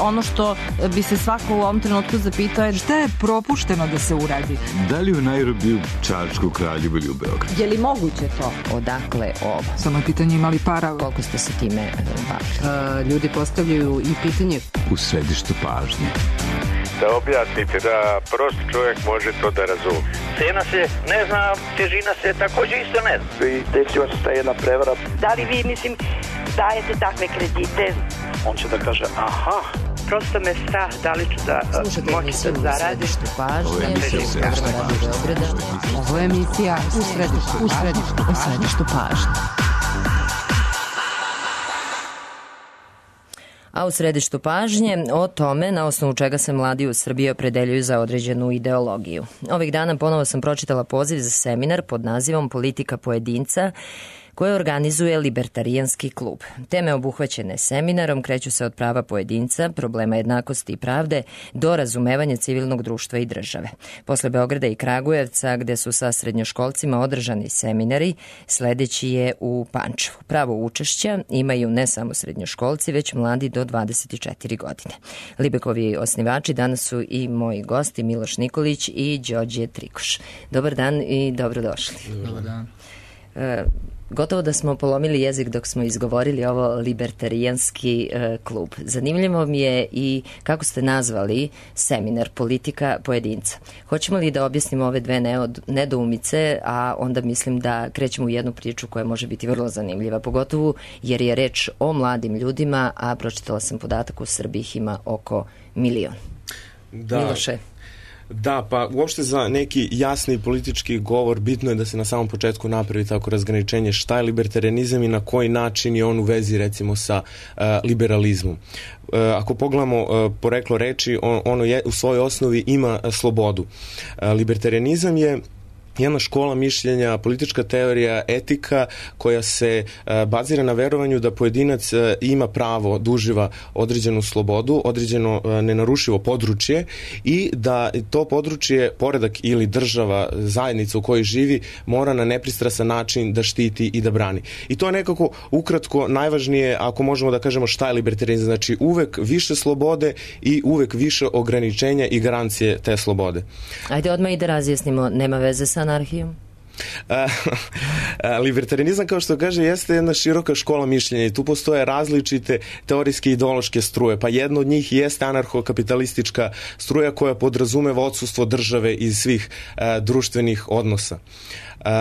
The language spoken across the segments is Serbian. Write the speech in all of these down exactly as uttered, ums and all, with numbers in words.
ono što bi se svako u ovom trenutku zapitao je šta je propušteno da se uradi? Da li u Nairobiju, Čačku, Kraljevu ili u Beogradu? Je li moguće to? Odakle ovo? Samo je pitanje imali para. Koliko ste se time bavili? Ljudi postavljaju i pitanje u središtu pažnje. Da objasnite da prost čovjek može to da razumije. Cena se ne zna, težina se također isto ne zna. I desila se ta jedna prevara. Da li vi, mislim, dajete takve kredite? On će da kaže, aha. Prosto me strah da li ću da moći da zaradim. Ovo je emisija u središtu pažnje. Ovo je emisija u središtu, u središtu, u središtu pažnje. A u središtu pažnje o tome na osnovu čega se mladi u Srbiji opredeljuju za određenu ideologiju. Ovih dana ponovo sam pročitala poziv za seminar pod nazivom Politika pojedinca koje organizuje Libertarijanski klub. Teme obuhvaćene seminarom kreću se od prava pojedinca, problema jednakosti i pravde, do razumevanja civilnog društva i države. Posle Beograda i Kragujevca, gde su sa srednjoškolcima održani seminari, sledeći je u Pančevu. Pravo učešća imaju ne samo srednjoškolci, već mladi do dvadeset četiri godine. Libekovi osnivači danas su i moji gosti Miloš Nikolić i Đorđe Trikoš. Dobar dan i dobrodošli. Dobar dan. E, Gotovo da smo polomili jezik dok smo izgovorili ovo Libertarijanski e, klub. Zanimljivo mi je i kako ste nazvali seminar Politika pojedinca. Hoćemo li da objasnimo ove dve nedoumice, a onda mislim da krećemo u jednu priču koja može biti vrlo zanimljiva, pogotovo jer je reč o mladim ljudima, a pročitala sam podatak u Srbiji ih ima oko milion. Da. Miloše. Da, pa uopšte za neki jasni politički govor bitno je da se na samom početku napravi tako razgraničenje šta je libertarianizam i na koji način je on u vezi recimo sa uh, liberalizmom. Uh, ako pogledamo uh, poreklo reči, on, ono je, u svojoj osnovi ima uh, slobodu. Uh, libertarianizam je jedna škola mišljenja, politička teorija, etika koja se uh, bazira na verovanju da pojedinac uh, ima pravo da uživa određenu slobodu, određeno uh, nenarušivo područje i da to područje, poredak ili država, zajednica u kojoj živi, mora na nepristrasan način da štiti i da brani. I to je nekako ukratko najvažnije, ako možemo da kažemo šta je libertarianizam. Znači uvek više slobode i uvek više ograničenja i garancije te slobode. Ajde odmah i da razjasnimo, nema veze sa anarhijom? Libertarianizam, kao što kaže, jeste jedna široka škola mišljenja i tu postoje različite teorijske i ideološke struje, pa jedna od njih jeste anarcho-kapitalistička struja koja podrazumeva odsustvo države iz svih uh, društvenih odnosa. Uh,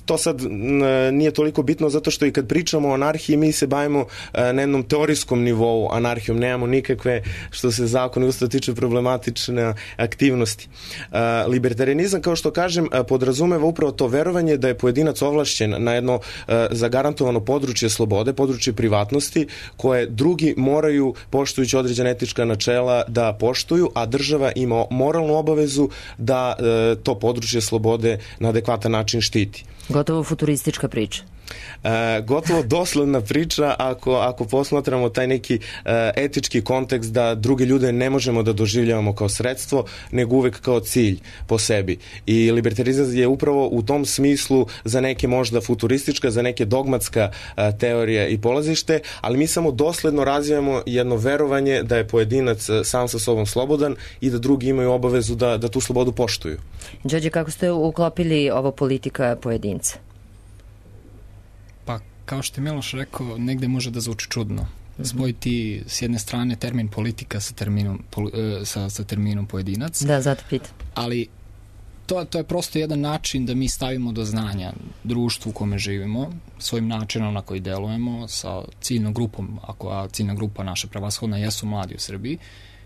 to sad n, nije toliko bitno zato što i kad pričamo o anarhiji mi se bavimo uh, na jednom teorijskom nivou anarhijom, nemamo nikakve što se zakon i ustav tiče problematične aktivnosti. Uh, libertarianizam, kao što kažem, uh, podrazumeva upravo to verovanje da je pojedinac ovlašćen na jedno uh, zagarantovano područje slobode, područje privatnosti koje drugi moraju, poštujući određena etička načela, da poštuju, a država ima moralnu obavezu da uh, to područje slobode na adekvatan način štiti. Gotovo futuristička priča. E, gotovo doslovna priča ako, ako posmatramo taj neki e, etički kontekst da druge ljude ne možemo da doživljavamo kao sredstvo, nego uvek kao cilj po sebi. I libertarizam je upravo u tom smislu za neke možda futuristička, za neke dogmatska e, teorija i polazište, ali mi samo dosledno razvijamo jedno verovanje da je pojedinac sam sa sobom slobodan i da drugi imaju obavezu da, da tu slobodu poštuju. Đorđe, kako ste uklopili ovo politika pojedinca? Kao što je Miloš rekao, negde može da zvuči čudno. Spojiti s jedne strane termin politika sa terminom, sa, sa terminom pojedinac. Da, zato pitam. Ali to, to je prosto jedan način da mi stavimo do znanja društvu u kome živimo, svojim načinom na koji delujemo, sa ciljnom grupom, ako a ciljna grupa naša prevashodna jesu mladi u Srbiji,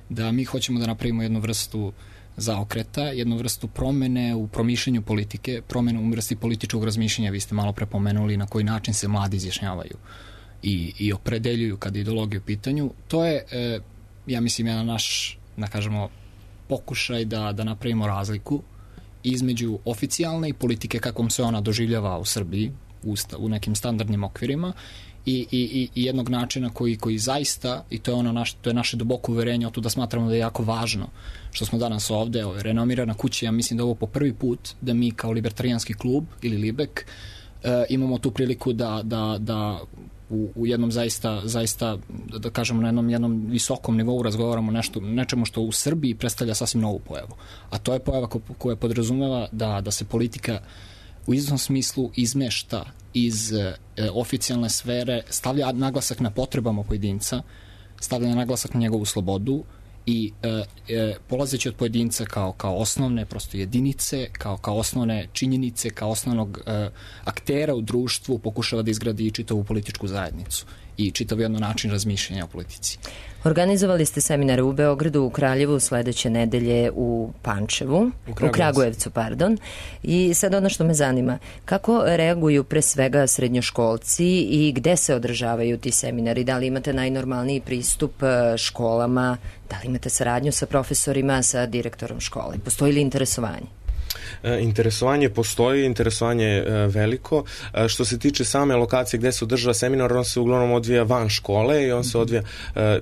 da mi hoćemo da napravimo jednu vrstu zaokreta, jednu vrstu promene u promišljanju politike, promenu u vrsti političkog razmišljanja. Vi ste malo prepomenuli na koji način se mladi izjašnjavaju i, i opredeljuju kada je ideologija u pitanju. To je, e, ja mislim, jedan naš, da kažemo, pokušaj da, da napravimo razliku između oficijalne i politike kakvom se ona doživljava u Srbiji, u, u nekim standardnim okvirima, I, i, i jednog načina koji, koji zaista, i to je ono naš, to je naše duboko uverenje, o to da smatramo da je jako važno što smo danas ovde, ovo je renomirana kuća, ja mislim da ovo po prvi put da mi kao libertarijanski klub ili Libek e, imamo tu priliku da, da, da u, u jednom zaista, zaista, da kažemo, na jednom, jednom visokom nivou razgovaramo nešto, nečemu što u Srbiji predstavlja sasvim novu pojavu. A to je pojava ko, koja podrazumeva da, da se politika u izvesnom smislu izmešta iz e, oficijalne sfere, stavlja naglasak na potrebama pojedinca, stavlja naglasak na njegovu slobodu i e, e, polazeći od pojedinca kao, kao osnovne prosto jedinice, kao, kao osnovne činjenice, kao osnovnog e, aktera u društvu pokušava da izgradi čitavu političku zajednicu i čitav jedno način razmišljanja o politici. Organizovali ste seminare u Beogradu, u Kraljevu, sledeće nedelje u Pančevu, u, u Kragujevcu, pardon. I sad ono što me zanima, kako reaguju pre svega srednjoškolci i gde se održavaju ti seminari? Da li imate najnormalniji pristup školama? Da li imate saradnju sa profesorima, sa direktorom škole? Postoji li interesovanje? Interesovanje postoji, interesovanje je veliko. Što se tiče same lokacije gde se održava seminar, on se uglavnom odvija van škole i on se odvija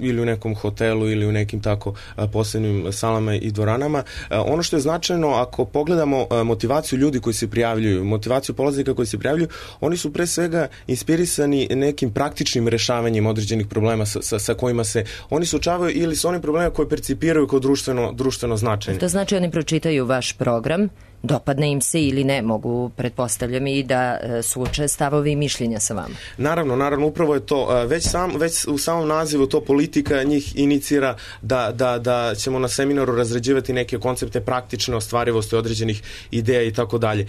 ili u nekom hotelu ili u nekim tako posebnim salama i dvoranama. Ono što je značajno, ako pogledamo motivaciju ljudi koji se prijavljuju, motivaciju polaznika koji se prijavljuju, oni su pre svega inspirisani nekim praktičnim rešavanjem određenih problema sa, sa, sa kojima se oni suočavaju ili sa onim problemima koje percipiraju kao društveno, društveno značajne. To znači oni pročitaju vaš program, dopadne im se ili ne, mogu, pretpostavljam, i da suoče stavovi i mišljenja sa vama. Naravno, naravno, upravo je to. Već, sam, već u samom nazivu to politika njih inicira da, da, da ćemo na seminaru razrađivati neke koncepte praktične ostvarivosti određenih ideja i tako dalje.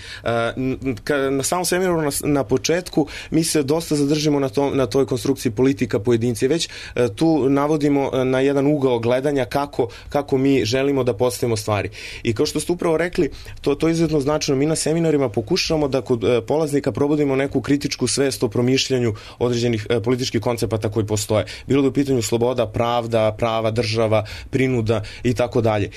Na samom seminaru na, na početku mi se dosta zadržimo na, to, na toj konstrukciji politika pojedinci. Već tu navodimo na jedan ugao gledanja kako, kako mi želimo da postavimo stvari. I kao što ste upravo rekli, to To je izuzetno značajno. Mi na seminarima pokušamo da kod polaznika probudimo neku kritičku svest o promišljanju određenih političkih koncepata koji postoje. Bilo da u pitanju sloboda, pravda, prava, država, prinuda i tako dalje.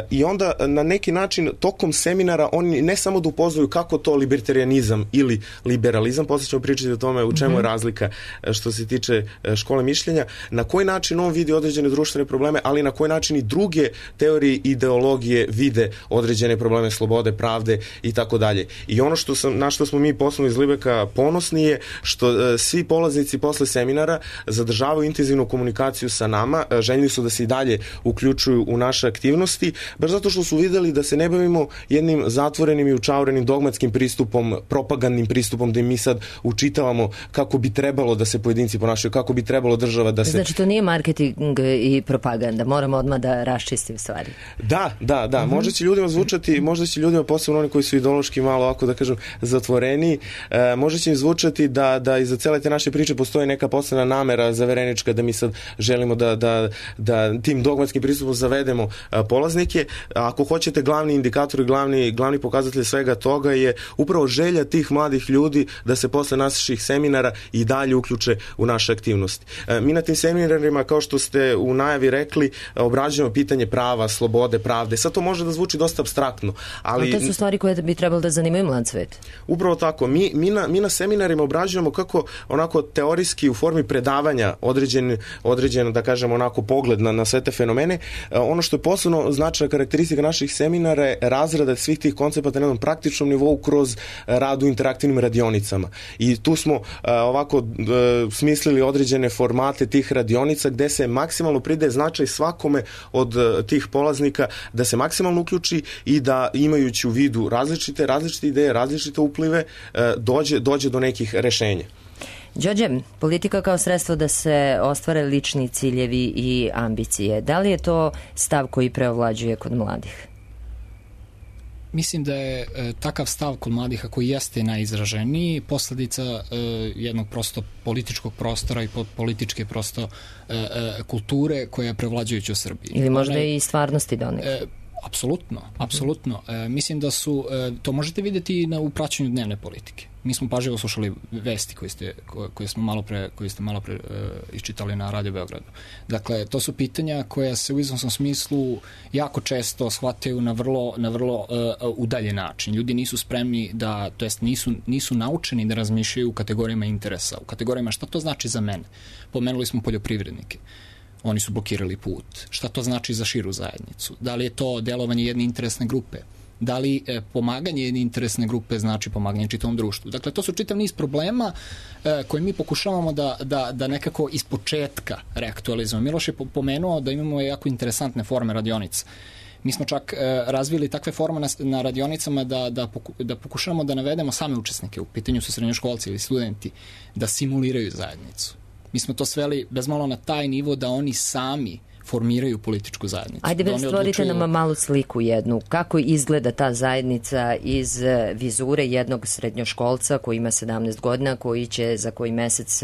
I onda na neki način tokom seminara oni ne samo da upoznaju kako to libertarianizam ili liberalizam, posle ćemo pričati o tome u čemu je razlika što se tiče škole mišljenja, na koji način on vidi određene društvene probleme, ali na koji način i druge teorije i ideologije vide određene probleme slobode, pravde i tako dalje. I ono što sam, na što smo mi poslovno iz Libeka ponosni je što e, svi polaznici posle seminara zadržavaju intenzivnu komunikaciju sa nama, e, željeli su da se i dalje uključuju u naše aktivnosti, baš zato što su videli da se ne bavimo jednim zatvorenim i učaurenim dogmatskim pristupom, propagandnim pristupom, da mi sad učitavamo kako bi trebalo da se pojedinci ponašaju, kako bi trebalo država da se... Znači to nije marketing i propaganda, moramo odmah da raščistim stvari. Da, da, da, mm-hmm. možda će ljudima zvučati, možda će ljudima, posebno oni koji su ideološki malo, ovako da kažem, zatvoreni, e, može će im zvučati da, da iza cele te naše priče postoji neka posebna namera zaverenička da mi sad želimo da, da, da tim dogmatskim pristupom zavedemo a, polaznike. A ako hoćete, glavni indikator i glavni, glavni pokazatelj svega toga je upravo želja tih mladih ljudi da se posle naših seminara i dalje uključe u naše aktivnosti. E, mi na tim seminarima, kao što ste u najavi rekli, obrađujemo pitanje prava, slobode, pravde. Sad to može da zvuči dosta apstraktno, ali... A to su stvari koje bi trebalo da zanimaju mlad svet. Upravo tako. Mi, mi, na, mi na seminarima obrađujemo kako onako teorijski u formi predavanja određen, određen da kažem, onako pogled na, na sve te fenomene. Ono što je posebno značajna karakteristika naših seminara je razrada svih tih koncepata na jednom praktičnom nivou kroz rad u interaktivnim radionicama. I tu smo uh, ovako uh, smislili određene formate tih radionica gde se maksimalno pridaje značaj svakome od uh, tih polaznika da se maksimalno uključi i da imajući u vidu različite, različite ideje, različite uplive, dođe, dođe do nekih rešenja. Đorđe, politika kao sredstvo da se ostvare lični ciljevi i ambicije. Da li je to stav koji preovlađuje kod mladih? Mislim da je e, takav stav kod mladih, koji jeste najizraženiji, posledica e, jednog prosto političkog prostora i političke prosto e, e, kulture koja je prevlađujuća u Srbiji. Ili možda One, i stvarnosti donekle. E, Apsolutno, apsolutno. E, mislim da su, e, to možete vidjeti na upraćanju dnevne politike. Mi smo pažljivo slušali vesti koje ste, koje smo malo pre, koje ste malo pre e, iščitali na Radio Beogradu. Dakle, to su pitanja koja se u izvesnom smislu jako često shvataju na vrlo, na vrlo e, udaljen način. Ljudi nisu spremni da, to jest nisu, nisu naučeni da razmišljaju u kategorijama interesa, u kategorijama šta to znači za mene. Pomenuli smo poljoprivrednike. Oni su blokirali put. Šta to znači za širu zajednicu? Da li je to delovanje jedne interesne grupe? Da li e, pomaganje jedne interesne grupe znači pomaganje čitavom društvu? Dakle, to su čitav niz problema e, koje mi pokušavamo da, da, da nekako iz početka reaktualizujemo. Miloš je pomenuo da imamo jako interesantne forme radionica. Mi smo čak e, razvili takve forme na, na radionicama da, da, poku, da pokušamo da navedemo same učesnike, u pitanju su srednjoškolci ili studenti, da simuliraju zajednicu. Mi smo to sveli bezmalo na taj nivo da oni sami formiraju političku zajednicu. Ajde, da stvorite odlučuju... nam malu sliku jednu. Kako izgleda ta zajednica iz vizure jednog srednjoškolca koji ima sedamnaest godina, koji će za koji mesec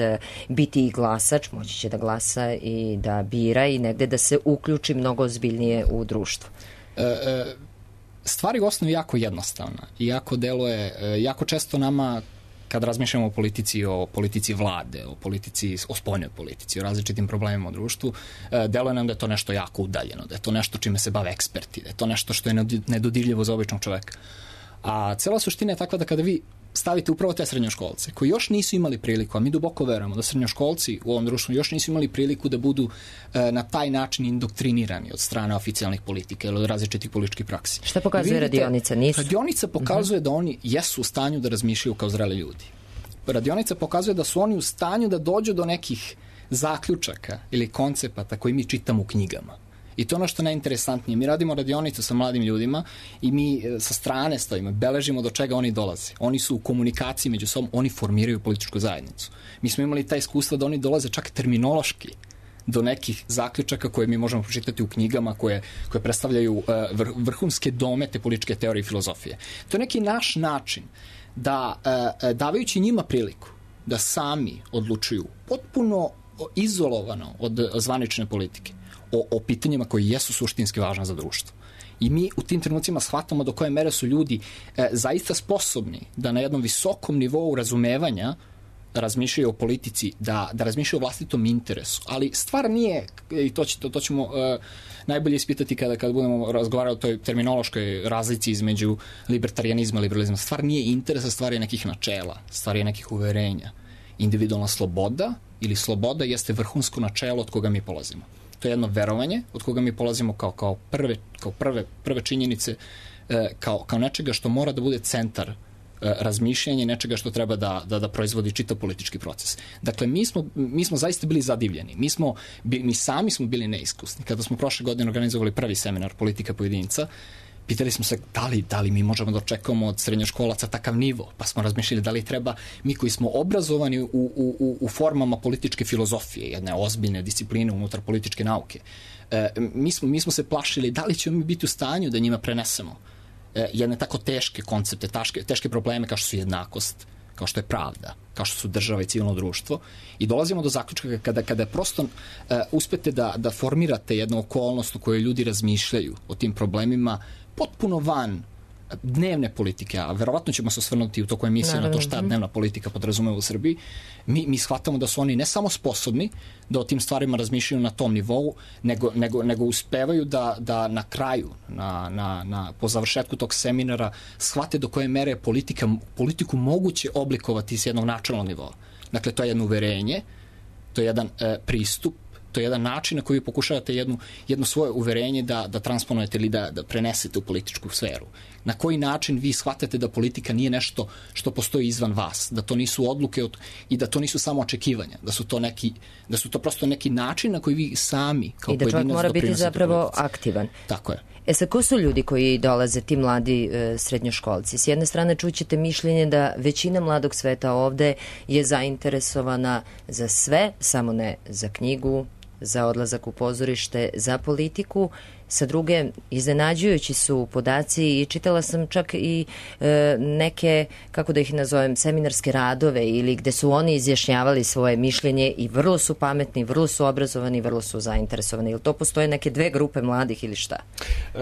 biti i glasač, moći će da glasa i da bira i negde da se uključi mnogo ozbiljnije u društvo? E, e, stvari u osnovi jako jednostavna i jako deluje, e, jako često nama kad razmišljamo o politici, o politici vlade, o politici, o spoljnoj politici, o različitim problemima u društvu, deluje nam da je to nešto jako udaljeno, da je to nešto čime se bave eksperti, da je to nešto što je nedodirljivo za običnog čoveka. A cela suština je takva da kada vi stavite upravo te srednjoškolce, koji još nisu imali priliku, a mi duboko verujemo da srednjoškolci u ovom društvu još nisu imali priliku da budu e, na taj način indoktrinirani od strane oficijalnih politika ili od različitih političkih praksi. Šta pokazuje vidite, radionica? Nisu? Radionica pokazuje uh-huh. da oni jesu u stanju da razmišljaju kao zreli ljudi. Radionica pokazuje da su oni u stanju da dođu do nekih zaključaka ili koncepata koji mi čitamo u knjigama. I to je ono što je najinteresantnije. Mi radimo radionicu sa mladim ljudima i mi sa strane stojimo, beležimo do čega oni dolaze. Oni su u komunikaciji među sobom, oni formiraju političku zajednicu. Mi smo imali taj iskustva da oni dolaze čak terminološki do nekih zaključaka koje mi možemo pročitati u knjigama koje, koje predstavljaju vr, vrhunske domete političke teorije i filozofije. To je neki naš način da, davajući njima priliku da sami odlučuju potpuno izolovano od zvanične politike, O, o pitanjima koji jesu suštinski važna za društvo. I mi u tim trenucima shvatamo do koje mere su ljudi e, zaista sposobni da na jednom visokom nivou razumevanja razmišljaju o politici, da, da razmišljaju o vlastitom interesu. Ali stvar nije, i to, će, to, to ćemo e, najbolje ispitati kada, kada budemo razgovarali o toj terminološkoj razlici između libertarijanizma i liberalizma. Stvar nije interesa, stvar je nekih načela, stvar je nekih uverenja. Individualna sloboda ili sloboda jeste vrhunsko načelo od koga mi polazimo. To je jedno verovanje od koga mi polazimo kao, kao, prve, kao prve, prve činjenice, e, kao, kao nečega što mora da bude centar e, razmišljanja i nečega što treba da, da, da proizvodi čitav politički proces. Dakle, mi smo, mi smo zaista bili zadivljeni. Mi, smo, mi sami smo bili neiskusni. Kada smo prošle godine organizovali prvi seminar Politika pojedinca, pitali smo se da li, da li mi možemo da očekujemo od srednjoškolaca takav nivo, pa smo razmišljali da li treba mi koji smo obrazovani u, u, u formama političke filozofije, jedne ozbiljne discipline unutar političke nauke, e, mi, smo, mi smo se plašili da li ćemo mi biti u stanju da njima prenesemo e, jedne tako teške koncepte, taške, teške probleme kao što su jednakost, kao što je pravda, kao što su država i civilno društvo, i dolazimo do zaključka kada, kada prosto uh, uspete da, da formirate jednu okolnost u kojoj ljudi razmišljaju o tim problemima potpuno van dnevne politike, a verovatno ćemo se osvrnuti u toku emisije na to šta dnevna politika podrazumeva u Srbiji, mi, mi shvatamo da su oni ne samo sposobni da o tim stvarima razmišljaju na tom nivou, nego, nego, nego uspevaju da, da na kraju, na, na, na, po završetku tog seminara, shvate do koje mere politika, politiku moguće oblikovati s jednog načelnog nivoa. Dakle, to je jedno uverenje, to je jedan e, pristup, to je jedan način na koji pokušavate jednu, jedno svoje uverenje da, da transponujete ili da, da prenesete u političku sferu. Na koji način vi shvatate da politika nije nešto što postoji izvan vas, da to nisu odluke od, i da to nisu samo očekivanja, da su to neki, da su to prosto neki način na koji vi sami kao pojedinac doprinosite. I da čovjek mora biti zapravo politici. Aktivan. Tako je. E sad, ko su ljudi koji dolaze, ti mladi e, srednjoškolci? S jedne strane čućete mišljenje da većina mladog sveta ovde je zainteresovana za sve, samo ne za knjigu, za odlazak u pozorište, za politiku. Sa druge, iznenađujući su podaci i čitala sam čak i e, neke, kako da ih nazovem, seminarske radove ili gde su oni izjašnjavali svoje mišljenje i vrlo su pametni, vrlo su obrazovani, vrlo su zainteresovani. Ili to postoje neke dve grupe mladih ili šta? Uh.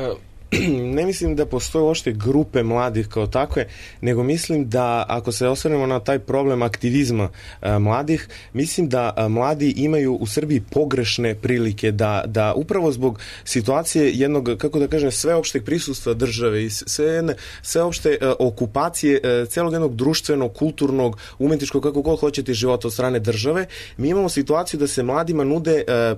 Ne mislim da postoje uopšte grupe mladih kao takve, nego mislim da ako se osvrnemo na taj problem aktivizma a, mladih, mislim da a, mladi imaju u Srbiji pogrešne prilike da, da upravo zbog situacije jednog, kako da kažem, sveopšteg prisustva države i sve, sveopšte a, okupacije a, celog jednog društvenog, kulturnog, umetničkog, kako god hoćete, života od strane države, mi imamo situaciju da se mladima nude a,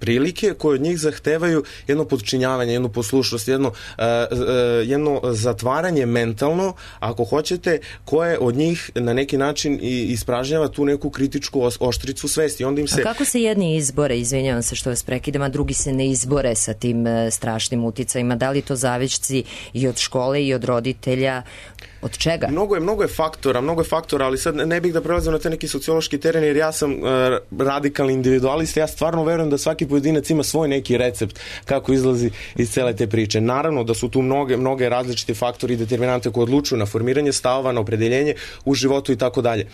prilike koje od njih zahtevaju jedno podčinjavanje, jednu poslušnost, jedno, uh, uh, jedno zatvaranje mentalno, ako hoćete, koje od njih na neki način ispražnjava tu neku kritičku oštricu svesti. Onda im se... A kako se jedni izbore, izvinjavam se što vas prekidam, a drugi se ne izbore sa tim uh, strašnim uticajima? Da li to zavišci i od škole i od roditelja? Od čega? Mnogo je, mnogo je faktora, mnogo je faktora, ali sad ne bih da prelazim na te neki sociološki teren, jer ja sam uh, radikalni individualista, ja stvarno verujem da svaki pojedinac ima svoj neki recept kako izlazi iz cele te priče. Naravno da su tu mnoge, mnoge različite faktori i determinante koje odlučuju na formiranje stavova, na opredeljenje u životu i tako dalje.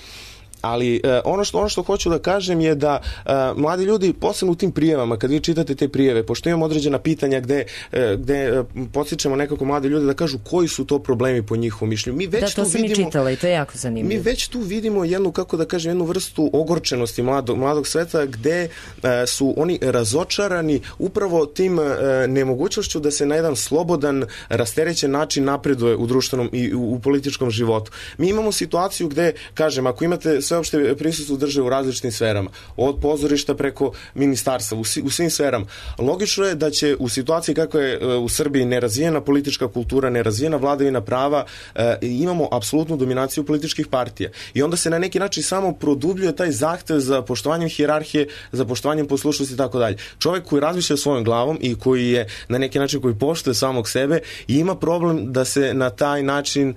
Ali uh, ono što ono što hoću da kažem je da uh, mladi ljudi, posebno u tim prijavama, kad vi čitate te prijave, pošto imamo određena pitanja gde, uh, gde uh, podsjećamo nekako mlade ljude da kažu koji su to problemi po njihovom mišljenju. Mi već da, to tu sam vidimo, i čitala i to je jako zanimljivo. Mi već tu vidimo jednu, kako da kažem, jednu vrstu ogorčenosti mladog, mladog sveta gde uh, su oni razočarani upravo tim uh, nemogućnošću da se na jedan slobodan, rasterećen način napreduje u društvenom i u, u političkom životu. Mi imamo situaciju gde, kažem, ako imate sveopšte prisustvo države u različitim sferama, od pozorišta preko ministarstva, u, u svim sferama. Logično je da će u situaciji kako je u Srbiji nerazvijena politička kultura, nerazvijena vladavina prava, e, imamo apsolutnu dominaciju političkih partija. I onda se na neki način samo produbljuje taj zahtev za poštovanjem hijerarhije, za poštovanjem poslušnosti i tako dalje. Čovjek koji razmišlja svojom glavom i koji je na neki način koji poštuje samog sebe i ima problem da se na taj način e,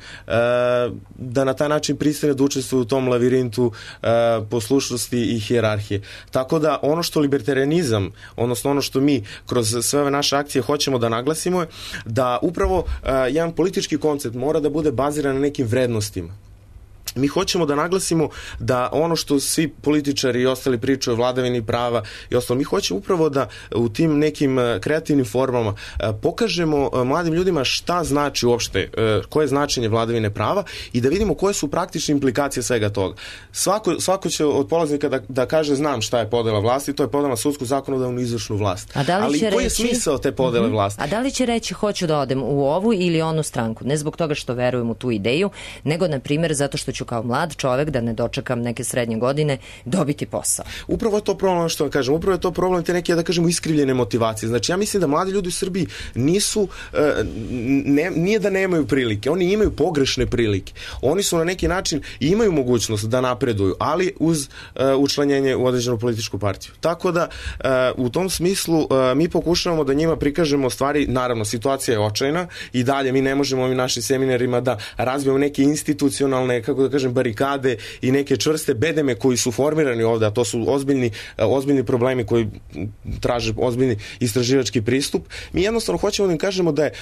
da na taj način pristane da učestvuje u tom lavirintu poslušnosti i hijerarhije. Tako da ono što libertarianizam, odnosno ono što mi kroz sve ove naše akcije hoćemo da naglasimo je da upravo uh, jedan politički koncept mora da bude baziran na nekim vrednostima. Mi hoćemo da naglasimo da ono što svi političari i ostali pričaju o vladavini prava i ostalo, mi hoćemo upravo da u tim nekim kreativnim formama pokažemo mladim ljudima šta znači uopšte, koje je značenje vladavine prava i da vidimo koje su praktične implikacije svega toga. Svako, svako će od polaznika da, da kaže znam šta je podela vlasti, to je podela sudsku, zakonodavnu i izvršnu vlast. A da li ali će koji je reći... smisao te podele mm-hmm. vlasti? A da li će reći hoću da odem u ovu ili onu stranku? Ne zbog toga što verujem u tu ideju, nego na primjer zato što ću kao mlad čovek da ne dočekam neke srednje godine dobiti posao. Upravo je to problem što vam kažem, upravo je to problem te neke, da kažemo, iskrivljene motivacije. Znači ja mislim da mladi ljudi u Srbiji nisu, ne, nije da nemaju prilike, oni imaju pogrešne prilike. Oni su na neki način imaju mogućnost da napreduju, ali uz učlanjenje u određenu političku partiju. Tako da u tom smislu mi pokušavamo da njima prikažemo stvari, naravno situacija je očajna i dalje mi ne možemo ovim našim seminarima da razvijemo neke institucionalne, kako da kažem, barikade i neke čvrste bedeme koji su formirani ovde, a to su ozbiljni, ozbiljni problemi koji traže ozbiljni istraživački pristup. Mi jednostavno hoćemo da im kažemo da je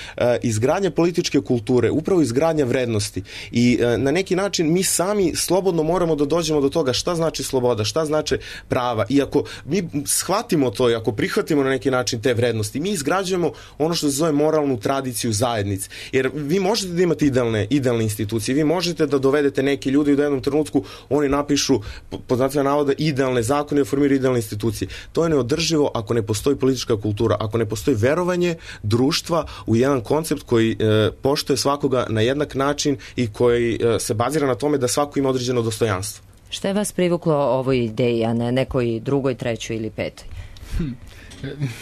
izgradnja političke kulture, upravo izgradnja vrednosti i na neki način mi sami slobodno moramo da dođemo do toga šta znači sloboda, šta znači prava i ako mi shvatimo to i ako prihvatimo na neki način te vrednosti, mi izgrađujemo ono što se zove moralnu tradiciju zajednice. Jer vi možete da imate idealne, idealne institucije, vi možete da dovedete neki ljudi u jednom trenutku oni napišu pod znacima navoda idealne zakone i formiraju idealne institucije. To je neodrživo ako ne postoji politička kultura, ako ne postoji verovanje društva u jedan koncept koji e, poštuje svakoga na jednak način i koji e, se bazira na tome da svako ima određeno dostojanstvo. Šta je vas privuklo ovoj ideji, a ne nekoj drugoj, trećoj ili petoj? Hm.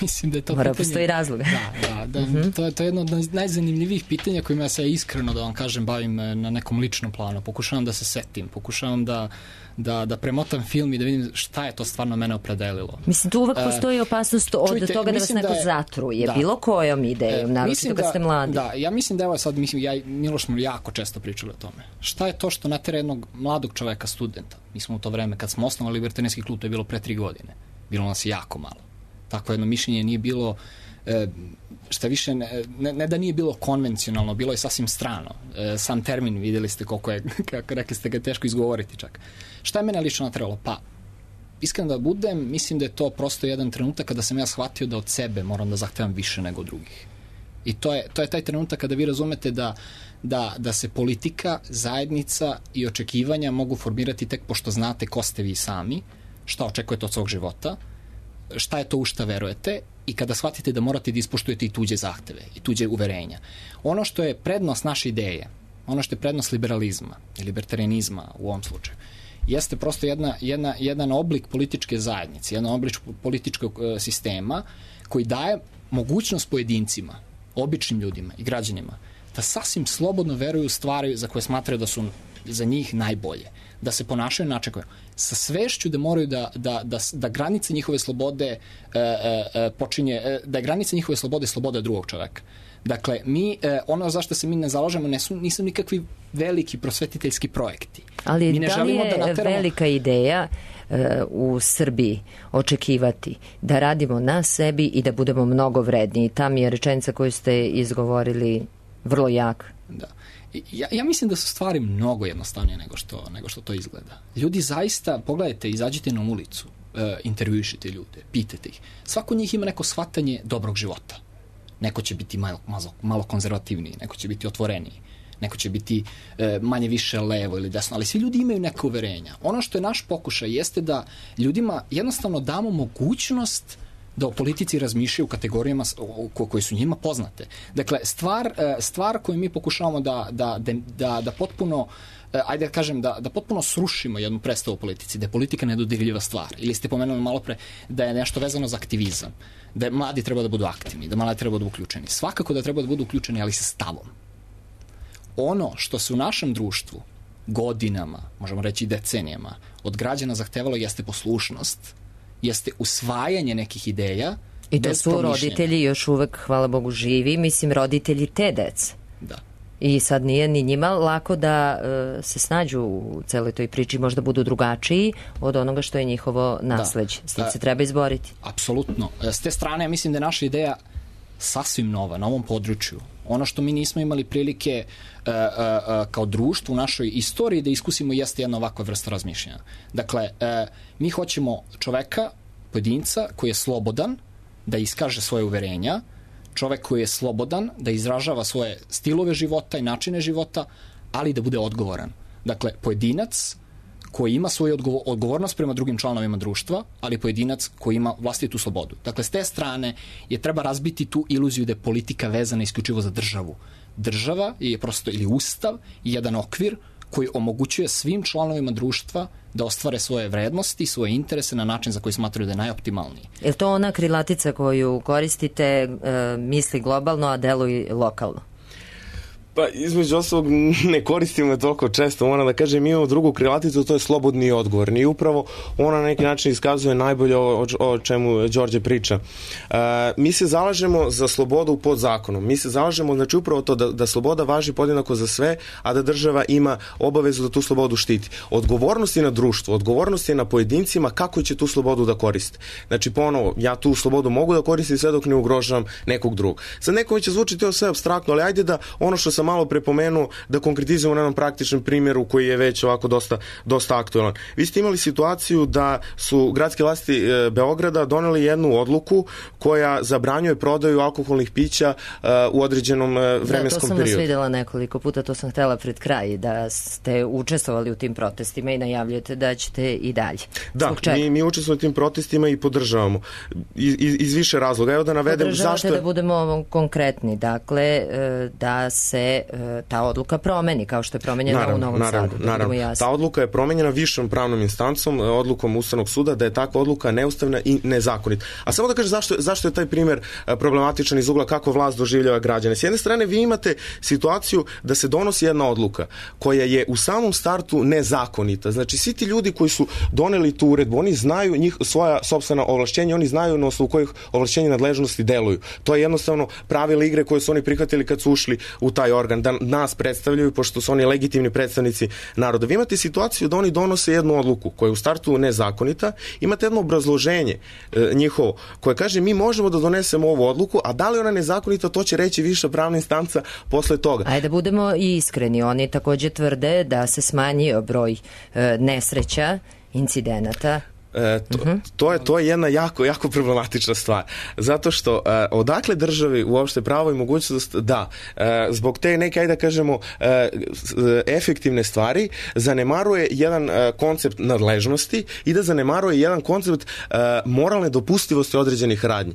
Mislim da je to Mora pitanje... postoji razlog. Da, da, da uh-huh. to, je, to je jedno od najzanimljivijih pitanja kojima ja se iskreno, da vam kažem, bavim na nekom ličnom planu. Pokušavam da se setim, pokušavam da, da, da premotam film i da vidim šta je to stvarno mene opredelilo. Mislim, tu uvek postoji opasnost od čujte, toga da vas neko da je, zatruje. Da. Bilo kojom idejom, naročito kad da, ste mladi. Da, ja mislim da evo sad, mislim, ja i Miloš smo jako često pričali o tome. Šta je to što natera jednog mladog čoveka, studenta? Mi smo u to vreme, kad smo osnovali Libertarijanski klub, to je bilo pre tri godine. Bilo nas jako malo. Takvo jedno mišljenje nije bilo, e, šta više, ne, ne, ne da nije bilo konvencionalno, bilo je sasvim strano. E, sam termin, vidjeli ste koliko je, kako rekli ste ga, teško izgovoriti čak. Šta je mene lično natralo? Pa, iskreno da budem, mislim da je to prosto jedan trenutak kada sam ja shvatio da od sebe moram da zahtevam više nego drugih. I to je, to je taj trenutak kada vi razumete da, da, da se politika, zajednica i očekivanja mogu formirati tek pošto znate ko ste vi sami, šta očekujete od svog života, šta je to u šta verujete i kada shvatite da morate da ispoštujete i tuđe zahteve i tuđe uverenja. Ono što je prednost naše ideje, ono što je prednost liberalizma i libertarianizma u ovom slučaju, jeste prosto jedna, jedna, jedan oblik političke zajednice, jedan oblik političkog uh, sistema koji daje mogućnost pojedincima, običnim ljudima i građanima da sasvim slobodno veruju u stvari za koje smatraju da su za njih najbolje, da se ponašaju na način sa svešću da moraju da, da, da, da granice njihove slobode e, e, počinje, e, da je granice njihove slobode sloboda drugog čoveka. Dakle, mi, e, ono zašto se mi ne zalažemo nisu, nisu nikakvi veliki prosvetiteljski projekti. Ali mi ne da li je da nateramo... velika ideja e, u Srbiji očekivati da radimo na sebi i da budemo mnogo vredniji? Ta mi je rečenica koju ste izgovorili vrlo jak. Da. Ja, ja mislim da su stvari mnogo jednostavnije nego što, nego što to izgleda. Ljudi zaista, pogledajte, izađite na ulicu, e, intervjušite ljude, pitajte ih. Svako njih ima neko shvatanje dobrog života. Neko će biti malo, malo, malo konzervativniji, neko će biti otvoreniji, neko će biti e, manje više levo ili desno, ali svi ljudi imaju neke uverenja. Ono što je naš pokušaj jeste da ljudima jednostavno damo mogućnost da o politici razmišljaju u kategorijama koje su njima poznate. Dakle, stvar, stvar koju mi pokušavamo da, da, da, da potpuno, ajde da kažem, da, da potpuno srušimo jednu predstavu o politici, da je politika nedodirljiva stvar. Ili ste pomenuli malo pre da je nešto vezano za aktivizam, da je mladi treba da budu aktivni, da mladi treba da budu uključeni. Svakako da treba da budu uključeni, ali sa stavom. Ono što se u našem društvu godinama, možemo reći decenijama, od građana zahtevalo jeste poslušnost, jeste usvajanje nekih ideja. I to su roditelji još uvek, hvala Bogu, živi, mislim, roditelji te dece. Da. I sad nije ni njima lako da uh, se snađu u celoj toj priči, možda budu drugačiji od onoga što je njihovo nasleđe. Da. S tim se treba izboriti. Apsolutno. S te strane, ja mislim da je naša ideja sasvim nova, na ovom području. Ono što mi nismo imali prilike uh, uh, uh, kao društvo u našoj istoriji da iskusimo jeste jedna ovakva vrsta razmišljanja. Dakle, uh, mi hoćemo čoveka, pojedinca koji je slobodan da iskaže svoje uverenja, čovek koji je slobodan da izražava svoje stilove života i načine života, ali da bude odgovoran. Dakle, pojedinac koji ima svoju odgovornost prema drugim članovima društva, ali pojedinac koji ima vlastitu slobodu. Dakle, s te strane je treba razbiti tu iluziju da je politika vezana isključivo za državu. Država je prosto, ili ustav, jedan okvir koji omogućuje svim članovima društva da ostvare svoje vrednosti, svoje interese na način za koji smatraju da je najoptimalniji. Je li to ona krilatica koju koristite, e, misli globalno, a deluj lokalno? Pa između ostalog ne koristimo je toliko često, moram da kažem, mi imamo drugu krilaticu, to je slobodni i odgovorni i upravo ona na neki način iskazuje najbolje o, o čemu Đorđe priča. E, mi se zalažemo za slobodu pod zakonom, mi se zalažemo znači upravo to da, da sloboda važi podjednako za sve, a da država ima obavezu da tu slobodu štiti. Odgovornost je na društvu, odgovornost je na pojedincima kako će tu slobodu da koriste. Znači ponovo, ja tu slobodu mogu da koristim sve dok ne ugrožavam nekog drugog. Sad nekome će zvučiti to sve apstraktno, ali ajde da ono što sam malo prepomenuo da konkretizujemo na jednom praktičnom primjeru koji je već ovako dosta, dosta aktualan. Vi ste imali situaciju da su gradske vlasti e, Beograda doneli jednu odluku koja zabranjuje prodaju alkoholnih pića e, u određenom e, vremenskom periodu. Da, to sam vas videla nekoliko puta, to sam htela pred kraj, da ste učestvovali u tim protestima i najavljujete da ćete i dalje. Da, mi, mi učestvujemo u tim protestima i podržavamo. Iz, iz više razloga. Evo da navedem Podržavate zašto... da budemo konkretni, dakle, da se ta odluka promeni, kao što je promenjena naravno, u Novom naravno, Sadu. Naravno. Ta odluka je promenjena višom pravnom instancom, odlukom Ustavnog suda, da je takva odluka neustavna i nezakonita. A samo da kažem zašto, zašto je taj primjer problematičan iz ugla kako vlast doživljava građane. S jedne strane vi imate situaciju da se donosi jedna odluka koja je u samom startu nezakonita. Znači svi ti ljudi koji su doneli tu uredbu, oni znaju njih, svoja sopstvena ovlašćenja, oni znaju na osnovu kojih ovlašćenja nadležnosti deluju. To je jednostavno pravila igre koje su oni prihvatili kad su ušli u taj organ, da nas predstavljaju, pošto su oni legitimni predstavnici naroda. Vi imate situaciju da oni donose jednu odluku koja je u startu nezakonita, imate jedno obrazloženje e, njihovo koje kaže mi možemo da donesemo ovu odluku, a da li ona nezakonita, to će reći viša pravna instanca posle toga. Ajde da budemo iskreni, oni takođe tvrde da se smanjio broj e, nesreća, incidenata E, to, uh-huh. to, je, to je jedna jako, jako problematična stvar. Zato što e, odakle državi uopšte pravo i mogućnost da e, zbog te neke, ajde da kažemo, e, efektivne stvari zanemaruje jedan e, koncept nadležnosti i da zanemaruje jedan koncept e, moralne dopustivosti određenih radnji.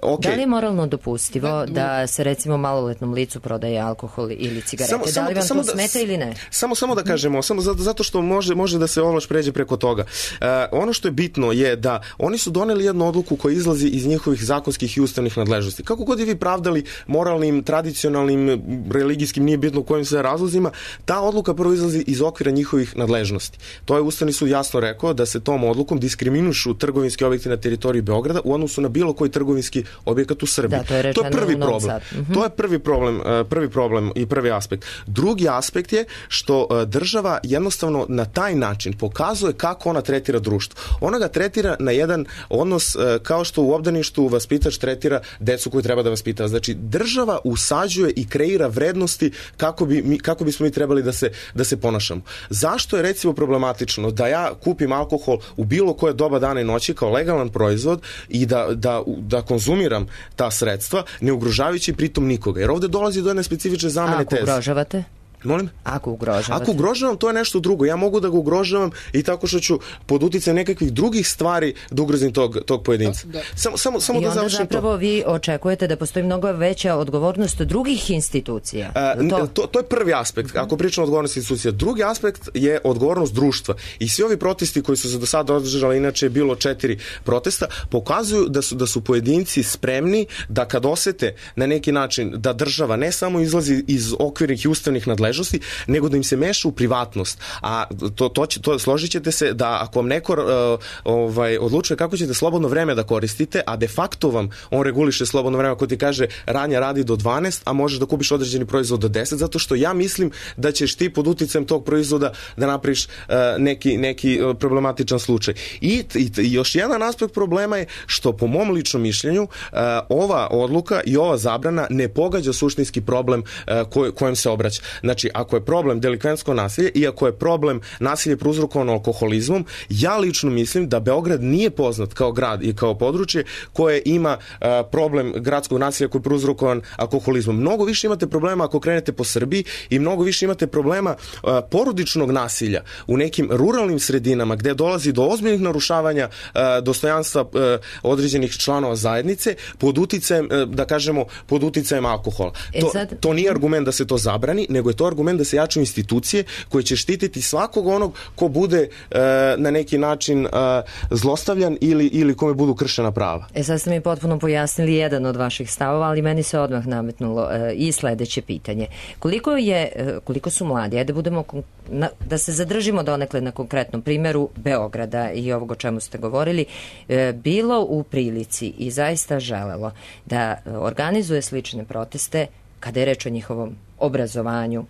Okay. Da li je moralno dopustivo ne, da se recimo maloletnom licu prodaje alkohol ili cigarete? Samo, da li vam samo, to smeta da, ili ne? Samo, samo da kažemo, samo zato, zato što može, može da se ovlaš pređe preko toga. E, ono što je bitno je da oni su doneli jednu odluku koja izlazi iz njihovih zakonskih i ustavnih nadležnosti. Kako god je vi pravdali moralnim, tradicionalnim, religijskim, nije bitno kojim se razlozima, ta odluka prvo izlazi iz okvira njihovih nadležnosti. To je Ustavni sud jasno rekao da se tom odlukom diskriminušu trgovinski objekti na teritoriji Beograda u odnosu na bilo koji trgovinski objekat u Srbiji. Da, to je, to je prvi problem. Uh-huh. To je prvi problem, prvi problem i prvi aspekt. Drugi aspekt je što država jednostavno na taj način pokazuje kako ona tretira društvo. Ona ga tretira na jedan odnos kao što u obdaništu vaspitač tretira decu koju treba da vaspita. Znači, država usađuje i kreira vrednosti kako bi mi, kako bismo mi trebali da se, da se ponašamo. Zašto je recimo problematično da ja kupim alkohol u bilo koje doba dana i noći kao legalan proizvod i da, da, da konzumiram ta sredstva, ne ugrožavajući pritom nikoga? Jer ovde dolazi do jedne specifične zamene teze. Ako ugrožavate? Molim? Ako ugrožavate? Ako ugrožavam, to je nešto drugo. Ja mogu da ga ugrožavam i tako što ću pod uticajem nekakvih drugih stvari da ugrozim tog, tog pojedinca. Da, da. Samo, samo, samo I da onda završim zapravo to. Vi očekujete da postoji mnogo veća odgovornost drugih institucija. A, to? To, to je prvi aspekt, ako pričamo o odgovornosti institucija. Drugi aspekt je odgovornost društva. I svi ovi protesti koji su se do sada održali, inače je bilo četiri protesta, pokazuju da su, da su pojedinci spremni da kad osete na neki način da država ne samo izlazi iz okvirnih i ustavnih nadležnosti, nego da im se meša u privatnost. A to, to, će, to složit ćete se da ako vam neko uh, ovaj, odlučuje kako ćete slobodno vreme da koristite, a de facto vam on reguliše slobodno vreme, ako ti kaže Ranja radi do dvanaest, a možeš da kupiš određeni proizvod do deset, zato što ja mislim da ćeš ti pod uticajem tog proizvoda da napraviš uh, neki, neki uh, problematičan slučaj. I, i, i još jedan aspekt problema je što po mom ličnom mišljenju uh, ova odluka i ova zabrana ne pogađa suštinski problem uh, koj, kojem se obraća. Znači, ako je problem delikventsko nasilje i ako je problem nasilje prouzrokovano alkoholizmom, ja lično mislim da Beograd nije poznat kao grad i kao područje koje ima uh, problem gradskog nasilja koji je prouzrokovan alkoholizmom. Mnogo više imate problema ako krenete po Srbiji i mnogo više imate problema uh, porodičnog nasilja u nekim ruralnim sredinama gde dolazi do ozbiljnih narušavanja uh, dostojanstva uh, određenih članova zajednice pod uticajem, uh, da kažemo, pod uticajem alkohola. E to, sad... to nije argument da se to zabrani, nego je to argument da se jačaju institucije koje će štititi svakog onog ko bude e, na neki način e, zlostavljan ili, ili kome budu kršena prava. E sad ste mi potpuno pojasnili jedan od vaših stavova, ali meni se odmah nametnulo e, i sledeće pitanje. Koliko je, e, koliko su mladi, ajde da budemo, na, da se zadržimo donekle na konkretnom primjeru Beograda i ovog o čemu ste govorili, e, bilo u prilici i zaista želelo da organizuje slične proteste kada je reč o njihovom obrazovanju,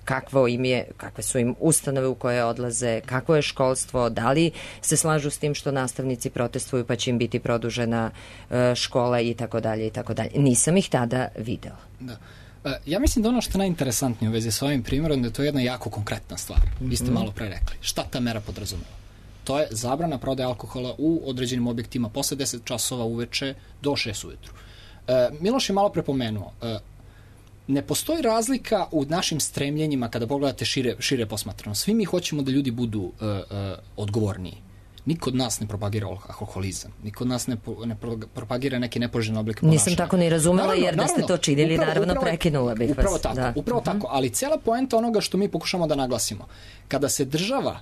kakvo im je, kakve su im ustanove u koje odlaze, kakvo je školstvo, da li se slažu s tim što nastavnici protestuju pa će im biti produžena škola i tako dalje i tako dalje. Nisam ih tada videla. Da. Ja mislim da ono što je najinteresantnije u vezi sa ovim primjerom da je to jedna jako konkretna stvar. Mm-hmm. Vi ste malo pre rekli. Šta ta mera podrazumeva? To je zabrana prodaje alkohola u određenim objektima posle deset časova uveče do šest ujutru. E, Miloš je malo prepomenuo, e, ne postoji razlika u našim stremljenjima kada pogledate šire, šire posmatrano. Svi mi hoćemo da ljudi budu uh, uh, odgovorniji. Niko od nas ne propagira alkoholizam. Niko od nas ne, ne propagira neki nepoželjni oblik ponašanja. Nisam tako ni razumela, naravno, jer da ste to činili, upravo, naravno upravo, prekinula bih upravo vas. Tako, da. Upravo uh-huh. tako, ali cela poenta onoga što mi pokušamo da naglasimo, kada se država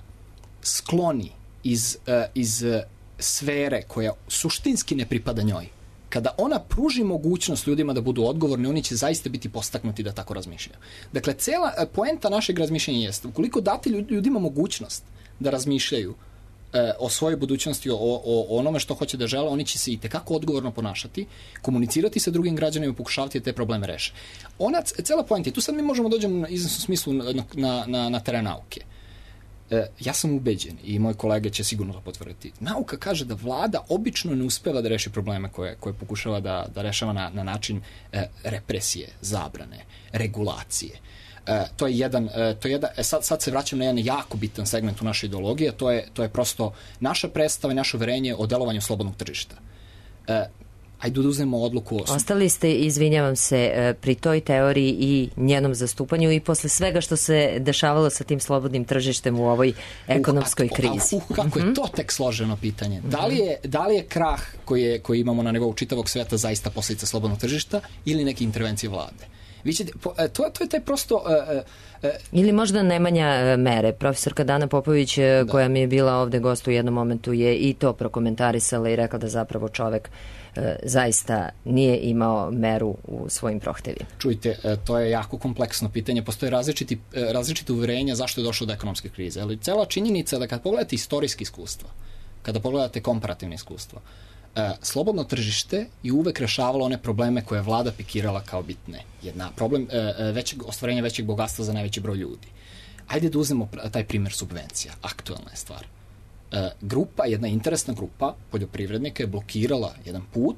skloni iz, uh, iz uh, sfere koja suštinski ne pripada njoj, kada ona pruži mogućnost ljudima da budu odgovorni, oni će zaista biti postaknuti da tako razmišljaju. Dakle, cela poenta našeg razmišljanja jeste, ukoliko date ljudima mogućnost da razmišljaju e, o svojoj budućnosti, o, o, o onome što hoće da žele, oni će se i tekako odgovorno ponašati, komunicirati sa drugim građanima i pokušavati da te probleme reše. Ona, cela poenta, i tu sad mi možemo dođemo na iznosnom smislu na, na, na, na teren nauke. Ja sam ubeđen i moji kolege će sigurno to potvrditi. Nauka kaže da vlada obično ne uspeva da reši probleme koje, koje pokušava da, da rešava na, na način e, represije, zabrane, regulacije. E, to je jedan, e, to je jedan e, sad, sad se vraćam na jedan jako bitan segment u našoj ideologiji, a to je, to je prosto naša predstava i naše uverenje o delovanju slobodnog tržišta. E, ajde da uzmemo odluku o... Ostali ste, izvinjavam se, pri toj teoriji i njenom zastupanju i posle svega što se dešavalo sa tim slobodnim tržištem u ovoj ekonomskoj uh, krizi. Uh, kako mm-hmm. je to tek složeno pitanje. Mm-hmm. Da li je, da li je krah koji, je, koji imamo na nivou čitavog sveta zaista posljedica slobodnog tržišta ili neke intervencije vlade? Vi ćete, to, to je taj prosto... Uh, uh, Ili možda nemanja mere. Profesorka Dana Popović, da. koja mi je bila ovde gost u jednom momentu, je i to prokomentarisala i rekla da zapravo čovek e, zaista nije imao meru u svojim prohtevima. Čujte, e, to je jako kompleksno pitanje. Postoje različiti, e, različite uverenja zašto je došlo do ekonomske krize. Ali cela činjenica da kad pogledate istorijski iskustva, kada pogledate komparativne iskustva, e, slobodno tržište je uvek rešavalo one probleme koje je vlada pikirala kao bitne. Jedna problem e, većeg, ostvarenja većeg bogatstva za najveći broj ljudi. Ajde da uzmemo taj primjer subvencija. Aktualna je stvar. E, grupa, jedna interesna grupa poljoprivrednika je blokirala jedan put,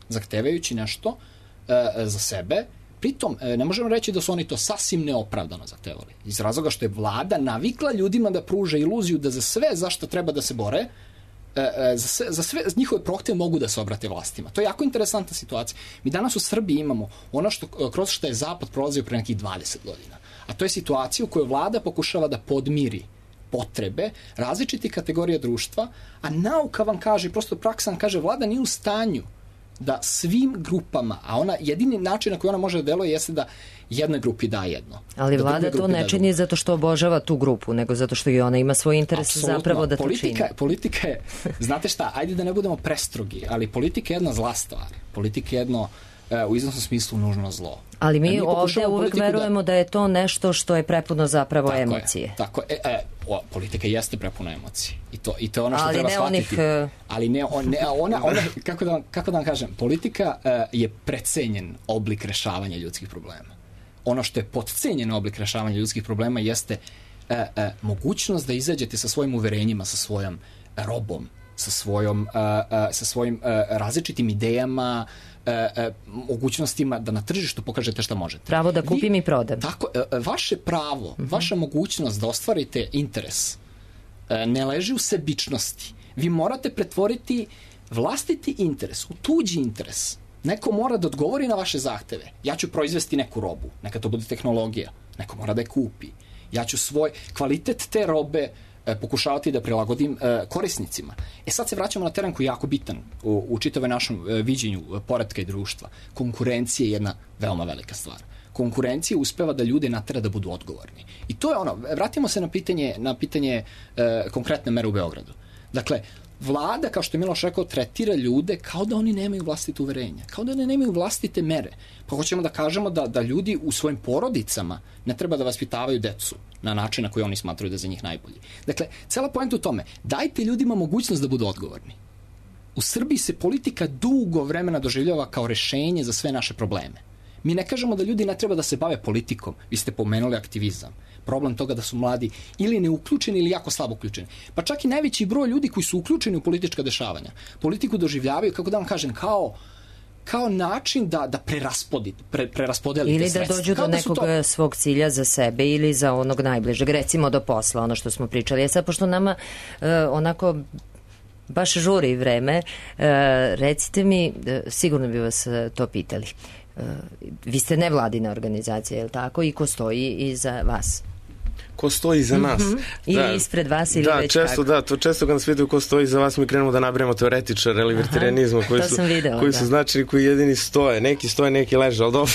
zahtevajući nešto e, za sebe. Pritom, e, ne možemo reći da su oni to sasvim neopravdano zahtevali. Iz razloga što je vlada navikla ljudima da pruže iluziju da za sve zašto treba da se bore, e, za sve, za sve njihove prohteve mogu da se obrate vlastima. To je jako interesantna situacija. Mi danas u Srbiji imamo ono što, kroz što je Zapad prolazio pre nekih dvadeset godina. A to je situacija u kojoj vlada pokušava da podmiri potrebe različitih kategorija društva, a nauka vam kaže, prosto praksa vam kaže, vlada nije u stanju da svim grupama, a ona jedini način na koji ona može da deluje jeste da jednoj grupi da jedno. Ali vlada to ne čini zato što obožava tu grupu, nego zato što i ona ima svoj interes Absolutno. Zapravo da to politika, čini. Politika je, znate šta, ajde da ne budemo prestrogi, ali politika je jedna zla stvar. Politika je jedno u iznosnom smislu nužno zlo. Ali mi, mi ovdje uvek verujemo da... da je to nešto što je prepuno zapravo tako emocije. Je, tako je. E, o, politika jeste prepuna emocije. I to, i to je ono što ali treba ne shvatiti. Onih... Ali ne, on, ne ona, ona, kako, da vam, kako da vam kažem, politika uh, je precenjen oblik rešavanja ljudskih problema. Ono što je podcenjen oblik rešavanja ljudskih problema jeste uh, uh, mogućnost da izađete sa svojim uverenjima, sa svojom robom, sa svojom, uh, uh, sa svojim uh, različitim idejama, E, e, mogućnostima da na tržištu pokažete šta možete. Pravo da kupim Vi, i prodam. Tako, e, vaše pravo, uh-huh. vaša mogućnost da ostvarite interes e, ne leži u sebičnosti. Vi morate pretvoriti vlastiti interes u tuđi interes. Neko mora da odgovori na vaše zahteve. Ja ću proizvesti neku robu, neka to bude tehnologija, neko mora da je kupi. Ja ću svoj kvalitet te robe pokušavati da prilagodim e, korisnicima. E sad se vraćamo na teren koji je jako bitan u, u čitavoj našem e, viđenju e, poretka i društva. Konkurencija je jedna veoma velika stvar. Konkurencija uspeva da ljude natera da budu odgovorni. I to je ono, vratimo se na pitanje, na pitanje e, konkretne mere u Beogradu. Dakle, vlada, kao što je Miloš rekao, tretira ljude kao da oni nemaju vlastite uverenja, kao da oni nemaju vlastite mere. Pa hoćemo da kažemo da, da ljudi u svojim porodicama ne treba da vaspitavaju decu na način na koji oni smatraju da je za njih najbolji. Dakle, cela poenta u tome, dajte ljudima mogućnost da budu odgovorni. U Srbiji se politika dugo vremena doživljava kao rešenje za sve naše probleme. Mi ne kažemo da ljudi ne treba da se bave politikom, vi ste pomenuli aktivizam. Problem toga da su mladi ili neuključeni ili jako slabo uključeni. Pa čak i najveći broj ljudi koji su uključeni u politička dešavanja, politiku doživljavaju, kako da vam kažem, kao kao način da, da preraspodelite, pre, preraspodelite ili sredstva. Da dođu kao do da nekog to... svog cilja za sebe ili za onog najbližeg, recimo do posla, ono što smo pričali. E sad, pošto nama uh, onako baš žuri vreme, uh, recite mi, uh, sigurno bi vas uh, to pitali. Uh, vi ste nevladina organizacija, je li tako? I ko stoji iza vas? Ko stoji iza nas. Mm-hmm. Ili da, ispred vas ili da, već često, kako. Da, to često kad nas pitaju ko stoji iza vas, mi krenemo da nabrajamo teoretičare libertarijanizma koji, su, videla, koji da. su značajni, koji jedini stoje. Neki stoje, neki leže, ali dobro.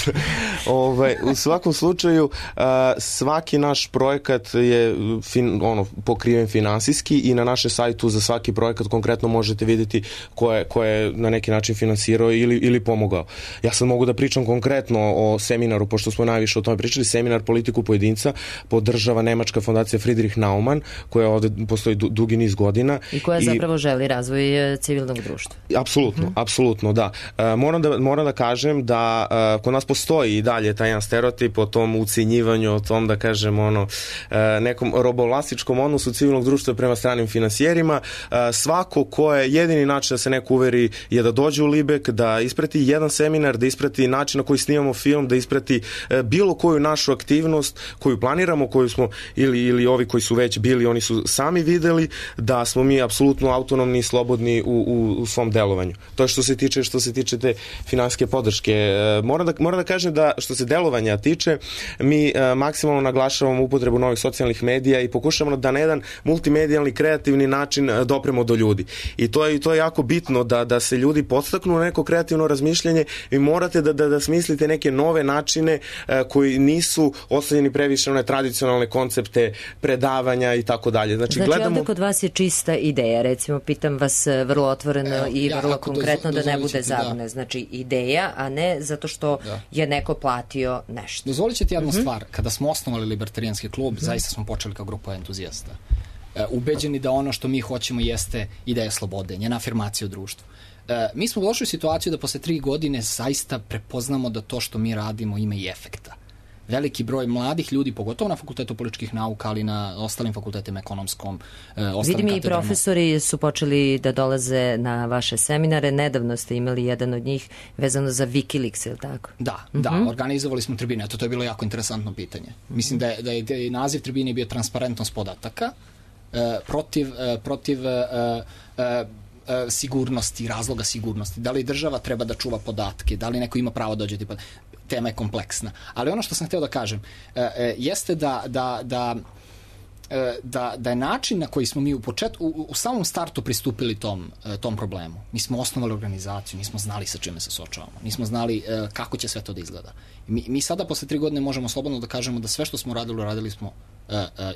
ovaj, u svakom slučaju, a, svaki naš projekat je fin, ono, pokriven finansijski i na našem sajtu za svaki projekat konkretno možete vidjeti ko je, ko je na neki način finansirao ili, ili pomogao. Ja sad mogu da pričam konkretno o seminaru, pošto smo najviše o tome pričali, seminar Politiku pojedinca podržava nemačka fondacija Friedrich Naumann, koja ovde postoji dugi niz godina. I koja zapravo želi razvoj civilnog društva. Apsolutno, hmm. apsolutno, da. Moram da, moram da kažem da kod nas postoji i dalje taj jedan stereotip o tom ucenjivanju, o tom, da kažem, ono, nekom robovlastičkom odnosu civilnog društva prema stranim finansijerima. Svako ko je jedini način da se neko uveri je da dođe u Libek, da isprati jedan seminar, da isprati način na koji snimamo film, da isprati bilo koju našu aktivnost koju planiramo, koju smo ili, ili ovi koji su već bili, oni su sami videli da smo mi apsolutno autonomni i slobodni u, u, u svom delovanju. To je što se tiče, što se tiče te finansijske podrške. Moram da, moram da kažem da što se delovanja tiče, mi maksimalno naglašavamo upotrebu novih socijalnih medija i pokušavamo da na jedan multimedijalni, kreativni način dopremo do ljudi. I to je, i to je jako bitno da, da se ljudi podstaknu na neko kreativno razmišljanje i morate da, da, da smislite neke nove načine koji nisu ostavljeni previše one tradicionalne koncepte predavanja i tako dalje. Znači, znači gledamo... ovde kod vas je čista ideja, recimo pitam vas vrlo otvoreno Evo, i vrlo ja, konkretno dozo, da ne bude zabune. Da. Znači ideja, a ne zato što da. je neko platio nešto. Dozvolit ćete jednu uh-huh. stvar, kada smo osnovali Libertarijanski klub, uh-huh. zaista smo počeli kao grupa entuzijasta. E, ubeđeni da ono što mi hoćemo jeste ideja slobode, njena afirmacija u društvu. E, mi smo došli u situaciju da posle tri godine zaista prepoznamo da to što mi radimo ima i efekta. Veliki broj mladih ljudi, pogotovo na fakultetu političkih nauka, ali na ostalim fakultetima ekonomskom, e, ostalim Vidim i profesori su počeli da dolaze na vaše seminare. Nedavno ste imali jedan od njih vezano za Wikileaks, je li tako? Da, uh-huh. da, organizovali smo tribine. Eto, to je bilo jako interesantno pitanje. Mislim da je, da je, da je naziv tribine bio transparentnost podataka e, protiv, e, protiv e, e, sigurnosti, razloga sigurnosti. Da li država treba da čuva podatke, da li neko ima pravo da dođe, tema je kompleksna. Ali ono što sam hteo da kažem jeste da, da, da, da, da je način na koji smo mi u, počet, u, u samom startu pristupili tom, tom problemu. Mi smo osnovali organizaciju, nismo znali sa čime se suočavamo, nismo znali kako će sve to da izgleda. Mi, mi sada posle tri godine možemo slobodno da kažemo da sve što smo radili, radili smo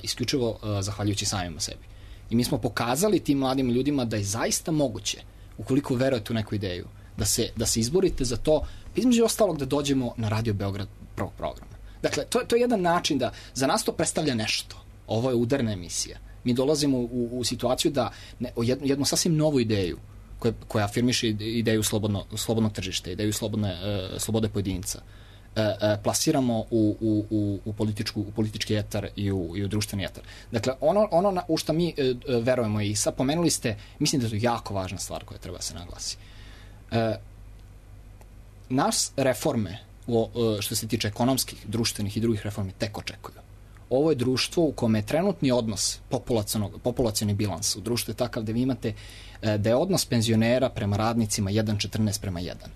isključivo zahvaljujući samima sebi. I mi smo pokazali tim mladim ljudima da je zaista moguće, ukoliko verujete u neku ideju, da se, da se izborite za to, između ostalog da dođemo na Radio Beograd prvog programa. Dakle, to, to je jedan način da za nas to predstavlja nešto. Ovo je udarna emisija. Mi dolazimo u, u situaciju da ne, jednu, jednu sasvim novu ideju koja, koja afirmiše ideju slobodno, slobodnog tržišta, ideju slobodne, uh, slobode pojedinca, plasiramo u, u, u, u, političku, u politički etar i u, i u društveni etar. Dakle, ono, ono na, u što mi e, verujemo i sad pomenuli ste, mislim da je to jako važna stvar koja treba se naglasi. E, nas reforme, o, što se tiče ekonomskih, društvenih i drugih reformi, tek očekuju. Ovo je društvo u kome je trenutni odnos, populacioni bilans u društvu je takav da vi imate e, da je odnos penzionera prema radnicima jedan četrnaest prema jedan.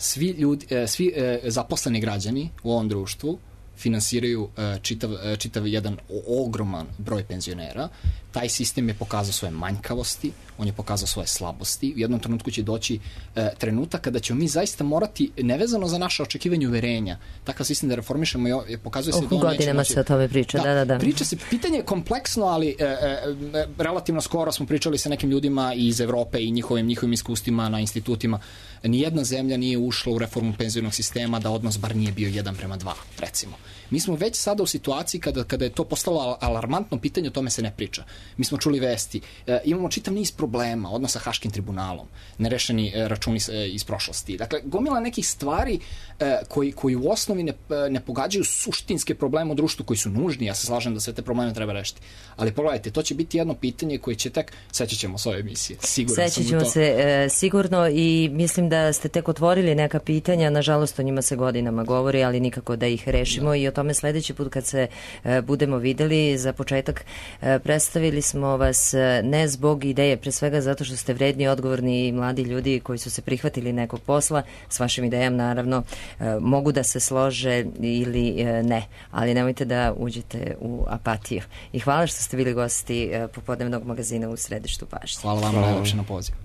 Svi, ljudi, svi zaposleni građani u ovom društvu finansiraju čitav, čitav jedan ogroman broj penzionera. Taj sistem je pokazao svoje manjkavosti, on je pokazao svoje slabosti. U jednom trenutku će doći e, trenutak kada ćemo mi zaista morati, nevezano za naše očekivanje uverenja, takav sistem da reformišemo i pokazuje se da on godinama se o tome priča, da, da, da. da. Priča se, pitanje je kompleksno, ali e, e, relativno skoro smo pričali sa nekim ljudima iz Evrope i njihovim, njihovim iskustvima na institutima. Nijedna zemlja nije ušla u reformu penzionog sistema da odnos bar nije bio jedan prema dva, recimo. Mi smo već sada u situaciji kada, kada je to postalo alarmantno pitanje, o tome se ne priča. Mi smo čuli vesti, e, imamo čitav niz problema, odnos sa Haškim tribunalom, nerešeni e, računi e, iz prošlosti. Dakle, gomila nekih stvari e, koji, koji u osnovi ne, ne pogađaju suštinske probleme u društvu koji su nužni, ja se slažem da sve te probleme treba rešiti. Ali pogledajte, to će biti jedno pitanje koje će tek, sećat ćemo s ove emisije. Siguran Sećat ćemo se e, sigurno i mislim da ste tek otvorili neka pitanja, nažalost o njima se godinama govori, ali nikako da ih rešimo da. I o tome sledeći put kad se e, budemo videli. Za početak e, predstavili smo vas e, ne zbog ideje, pre svega zato što ste vredni, odgovorni i mladi ljudi koji su se prihvatili nekog posla. S vašim idejama naravno e, mogu da se slože ili e, ne, ali nemojte da uđete u apatiju. I hvala što ste bili gosti e, popodnevnog magazina u Središtu pažnje. Hvala vam najlepše na poziv.